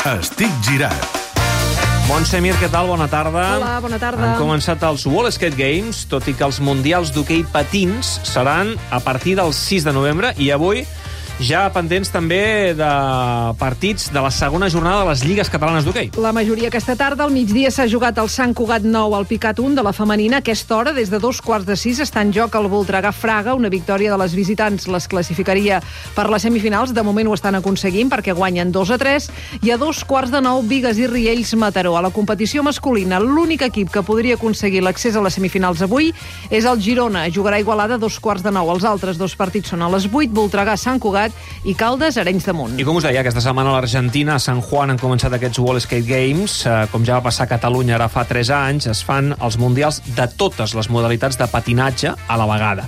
Estic girat. Montse Mir, què tal? Bona tarda. Hola, bona tarda. Han començat els World Skate Games, tot i que els mundials d'hoquei patins seran a partir del 6 de novembre i avui ja pendents també de partits de la segona jornada de les lligues catalanes d'hoquei. La majoria aquesta tarda, al migdia, s'ha jugat el Sant Cugat 9 al Picat 1 de la femenina. A aquesta hora, des de 2:15, està en joc el Voltregà-Fraga. Una victòria de les visitants les classificaria per les semifinals. De moment ho estan aconseguint perquè guanyen 2-3. I a 2:15, Bigues i Riells-Mataró. A la competició masculina, l'únic equip que podria aconseguir l'accés a les semifinals avui és el Girona. Jugarà a Igualada a 2:15. Els altres dos partits són a les 8, Voltregà-Sant Cugat i Caldes, Arenys de Munt. I com us deia, aquesta setmana a l'Argentina, a San Juan, han començat aquests World Skate Games. Com ja va passar a Catalunya ara fa 3 anys, es fan els mundials de totes les modalitats de patinatge a la vegada.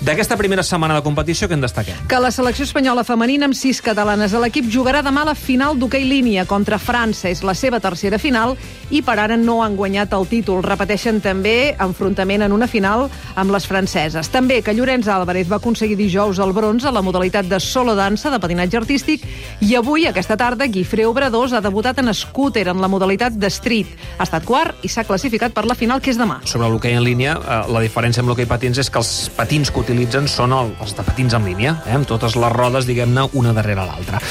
D'aquesta primera setmana de competició, què en destaquem? Que la selecció espanyola femenina, amb 6 catalanes a l'equip, jugarà demà la final d'hoquei línia contra França. És la seva tercera final i per ara no han guanyat el títol. Repeteixen també enfrontament en una final amb les franceses. També que Llorenç Álvarez va aconseguir dijous el bronze a la modalitat de solo dansa de patinatge artístic i avui, aquesta tarda, Guifré Obradors ha debutat en scooter en la modalitat de street. Ha estat quart i s'ha classificat per la final, que és demà. Sobre l'hoquei en línia, la diferència amb l'hoquei patins és que els patins que utilitzen són els de patins en línia, amb totes les rodes, diguem-ne, una darrere l'altra.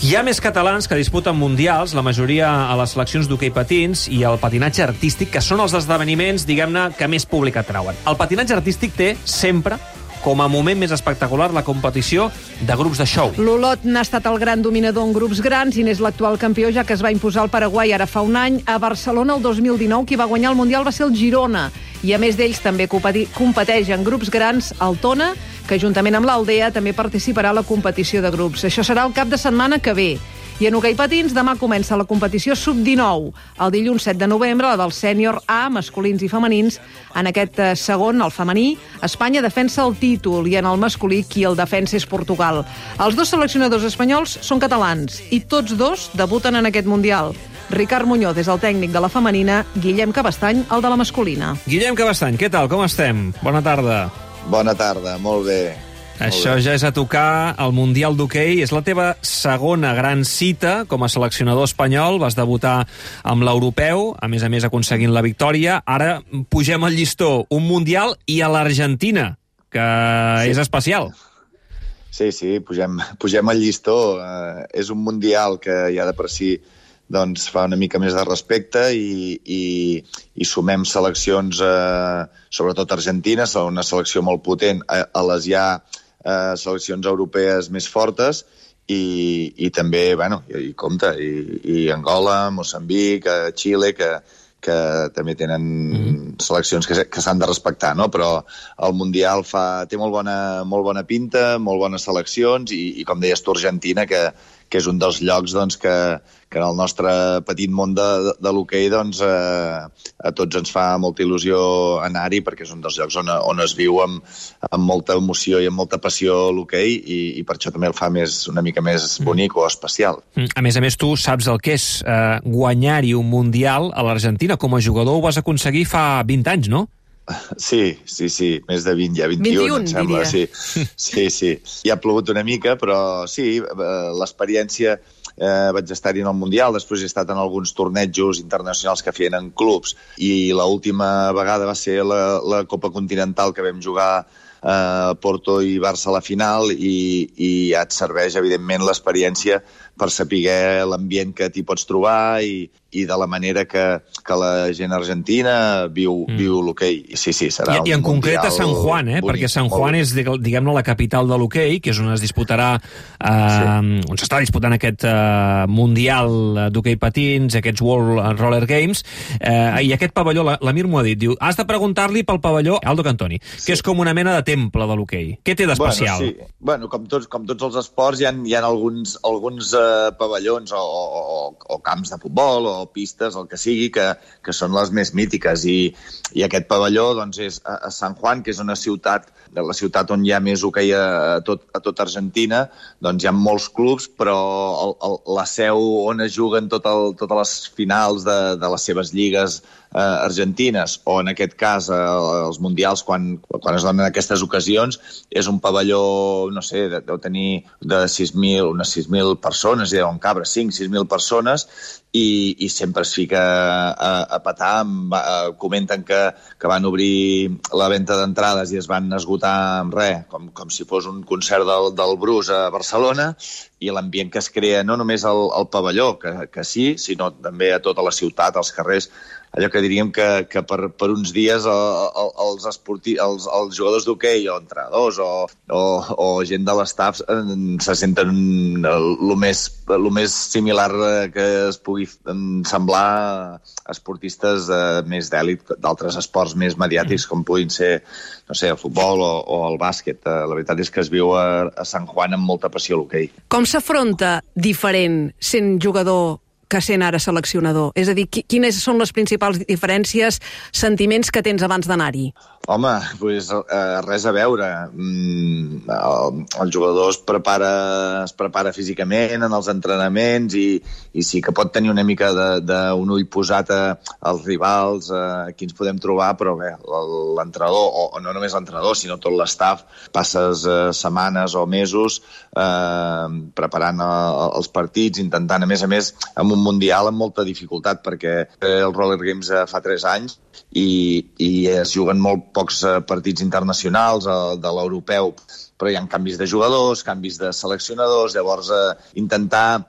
Hi ha més catalans que disputen mundials, la majoria a les seleccions d'hoquei patins i el patinatge artístic, que són els esdeveniments, diguem-ne, que més públic atrauen. El patinatge artístic té sempre com a moment més espectacular la competició de grups de show. L'Olot n'ha estat el gran dominador en grups grans i n'és l'actual campió, ja que es va imposar al Paraguai ara fa un any. A Barcelona, el 2019, qui va guanyar el Mundial va ser el Girona. I a més d'ells també competeix en grups grans el Tona, que juntament amb l'Aldea també participarà a la competició de grups. Això serà el cap de setmana que ve. I en hoquei patins, demà comença la competició sub-19. El dilluns 7 de novembre, la del sènior A, masculins i femenins. En aquest segon, el femení, Espanya defensa el títol i en el masculí qui el defensa és Portugal. Els dos seleccionadors espanyols són catalans i tots dos debuten en aquest Mundial. Ricard Muñoz és el tècnic de la femenina, Guillem Cabestany, el de la masculina. Guillem Cabestany, què tal? Com estem? Bona tarda. Bona tarda, molt bé. Això ja és a tocar el Mundial d'Hoquei. És la teva segona gran cita com a seleccionador espanyol. Vas debutar amb l'Europeu, a més aconseguint la victòria. Ara pugem al llistó, un Mundial i a l'Argentina, que és especial. Sí, pugem al llistó. És un Mundial que ja de per si doncs, fa una mica més de respecte i sumem seleccions, sobretot argentines, una selecció molt potent, a les ja seleccions europees més fortes i també, i compte, i Angola, Moçambic, Xile, que també tenen seleccions que s'han de respectar, no? Però el Mundial té molt bona pinta, molt bones seleccions i com deies tu, Argentina, que és un dels llocs doncs, que en el nostre petit món de l'hoquei doncs, a tots ens fa molta il·lusió anar-hi, perquè és un dels llocs on es viu amb molta emoció i amb molta passió l'hoquei i per això també el fa una mica més bonic o especial. A més, tu saps el que és guanyar-hi un Mundial a l'Argentina. Com a jugador ho vas aconseguir fa 20 anys, no? Sí, més de 20, ja 21, em sembla. Diria. Sí. Ja ha plogut una mica, però sí, l'experiència, vaig estar-hi en el Mundial, després he estat en alguns tornejos internacionals que feien en clubs i l'última vegada va ser la Copa Continental que vam jugar a Porto i Barça a la final i ja et serveix, evidentment, l'experiència per saber l'ambient que t'hi pots trobar i de la manera que la gent argentina viu l'hoquei. Sí, serà un I en concret a San Juan, bonic, perquè San Juan és, diguem-ne, la capital de l'hoquei, que és on es disputarà, on s'està disputant aquest Mundial d'hoquei patins, aquests World Roller Games, i aquest pavelló, l'Amir m'ho ha dit, diu, has de preguntar-li pel pavelló Aldo Cantoni, que és com una mena de temple de l'hoquei. Què té d'especial? Com tots els esports, hi ha alguns pavellons o camps de futbol o pistes, el que sigui, que són les més mítiques. I aquest pavelló doncs, és a San Juan, que és una ciutat, la ciutat on hi ha més hoquei a tot Argentina. Doncs hi ha molts clubs, però la seu on es juguen totes les finals de les seves lligues argentines, o en aquest cas els mundials, quan es donen aquestes ocasions, és un pavelló, no sé, deu tenir de 6.000, unes 6.000 persones, i deuen cabre 5.000-6.000 persones, i sempre es fica a petar. Comenten que van obrir la venda d'entrades i es van esgotar amb res, com si fos un concert del Bruce a Barcelona, i l'ambient que es crea no només al pavelló, que sí, sinó també a tota la ciutat, als carrers. Allò que diríem que per uns dies els jugadors d'hoquei o entrenadors o gent de l'estaf se senten el més similar que es pugui semblar a esportistes més d'èlit d'altres esports més mediàtics, com puguin ser, no sé, el futbol o el bàsquet. La veritat és que es viu a Sant Juan amb molta passió l'hoquei. Com s'afronta diferent sent jugador que sent ara seleccionador? És a dir, quines són les principals diferències, sentiments que tens abans d'anar-hi? Home, doncs res a veure. El jugador es prepara físicament en els entrenaments i sí que pot tenir una mica d'un ull posat als rivals, a qui ens podem trobar, però bé, l'entrenador, o no només l'entrenador, sinó tot l'estaf, passes setmanes o mesos preparant els partits, intentant, a més, amb un mundial amb molta dificultat, perquè el Roller Games fa 3 anys i es juguen molt pocs partits internacionals de l'europeu, però hi ha canvis de jugadors, canvis de seleccionadors, llavors intentar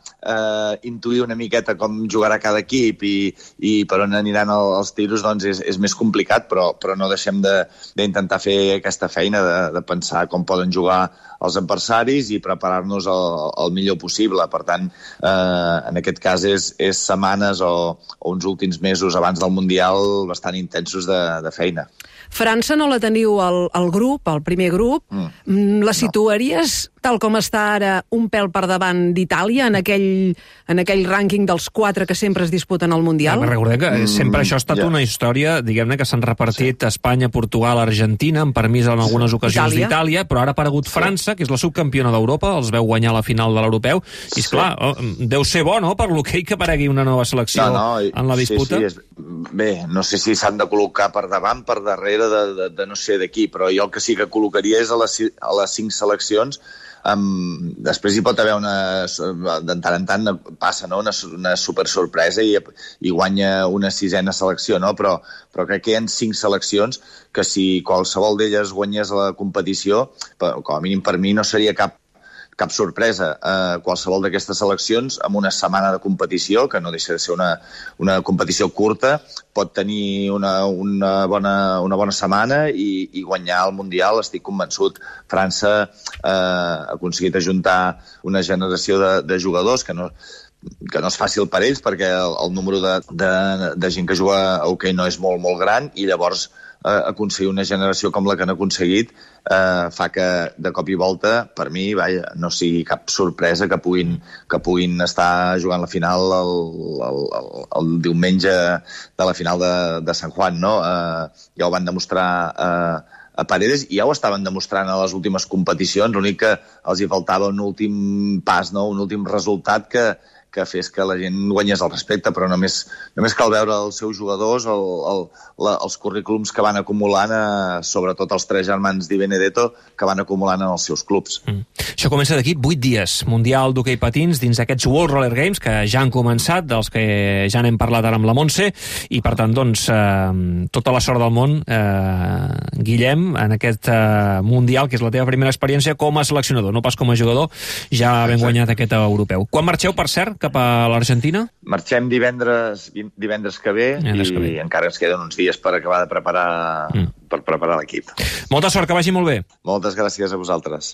intuir una miqueta com jugarà cada equip i per on aniran els tiros, doncs és més complicat, però no deixem d'intentar fer aquesta feina de pensar com poden jugar els adversaris i preparar-nos el millor possible. Per tant, en aquest cas és setmanes o uns últims mesos abans del Mundial bastant intensos de feina. França no la teniu al grup, al primer grup. La situaries, tal com està ara, un pèl per davant d'Itàlia en aquell rànquing dels 4 que sempre es disputen al Mundial? Recordeu que sempre això ha estat una història, diguem-ne, que s'han repartit Espanya, Portugal, Argentina, amb permís en algunes ocasions d'Itàlia, però ara ha aparegut França, que és la subcampiona d'Europa, els veu guanyar la final de l'europeu, i esclar, deu ser bo, no?, per l'hoquei que aparegui una nova selecció en la disputa. Bé, no sé si s'han de col·locar per davant, per darrere, de no sé de qui, però jo el que sí que col·locaria és a les 5 seleccions. Després hi pot haver de tant en tant passa, no?, una super sorpresa i guanya una 6a selecció, no? Però crec que hi ha 5 seleccions que si qualsevol d'elles guanyés la competició, com a mínim per mi no seria cap sorpresa. Qualsevol d'aquestes seleccions, amb una setmana de competició, que no deixa de ser una competició curta, pot tenir una bona setmana i guanyar el Mundial, estic convençut. França ha aconseguit ajuntar una generació de jugadors que no és fàcil per ells, perquè el número de gent que juga a hoquei no és molt, molt gran, i llavors aconseguir una generació com la que han aconseguit fa que de cop i volta, per mi, no sigui cap sorpresa que puguin estar jugant la final el diumenge de la final de Sant Juan, no? Ja ho van demostrar a Paredes, i ja ho estaven demostrant a les últimes competicions. L'únic que els hi faltava un últim pas, no?, un últim resultat que fes que la gent guanyés el respecte, però només cal veure els seus jugadors, els currículums que van acumulant, sobretot els 3 germans Di Benedetto, que van acumulant en els seus clubs. Això comença d'aquí 8 dies. Mundial d'hoquei patins dins aquests World Roller Games, que ja han començat, dels que ja n'hem parlat ara amb la Montse, i per tant, doncs, tota la sort del món, Guillem, en aquest Mundial, que és la teva primera experiència com a seleccionador, no pas com a jugador, ja ben guanyat aquest europeu. Quan marxeu, per cert, cap a l'Argentina? Marxem divendres que ve i encara ens queden uns dies per acabar de preparar l'equip. Molta sort, que vagi molt bé. Moltes gràcies a vosaltres.